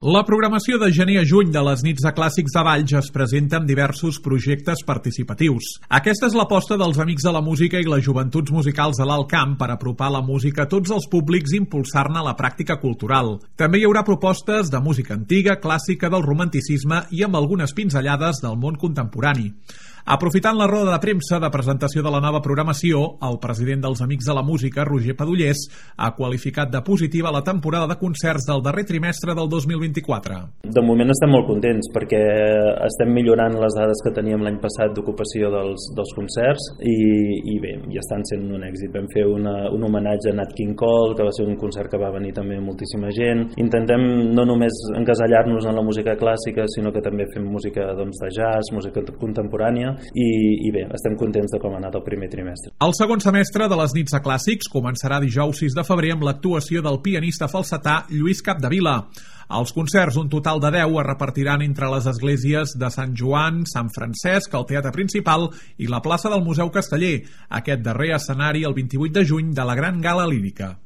La programació de gener a juny de les nits de clàssics de Valls es presenta amb diversos projectes participatius. Aquesta és l'aposta dels Amics de la Música i les Joventuts Musicals de l'Alt Camp per apropar la música a tots els públics i impulsar-ne la pràctica cultural. També hi haurà propostes de música antiga, clàssica, del romanticisme i amb algunes pinzellades del món contemporani. Aprofitant la roda de premsa de presentació de la nova programació, el president dels Amics de la Música, Roger Padullés, ha qualificat de positiva la temporada de concerts del darrer trimestre del 2024. De moment estem molt contents perquè estem millorant les dades que teníem l'any passat d'ocupació dels concerts i bé, ja estan sent un èxit. Vam fer un homenatge a Nat King Cole, que va ser un concert que va venir també moltíssima gent. Intentem no només encasellar-nos en la música clàssica, sinó que també fem música de jazz, música contemporània. I bé, estem contents de com ha anat el primer trimestre. El segon semestre de les nits de clàssics començarà dijous 6 de febrer amb l'actuació del pianista falsetà Lluís Capdevila. Els concerts, un total de 10, es repartiran entre les esglésies de Sant Joan, Sant Francesc, el Teatre Principal i la plaça del Museu Casteller, aquest darrer escenari el 28 de juny de la Gran Gala Lírica.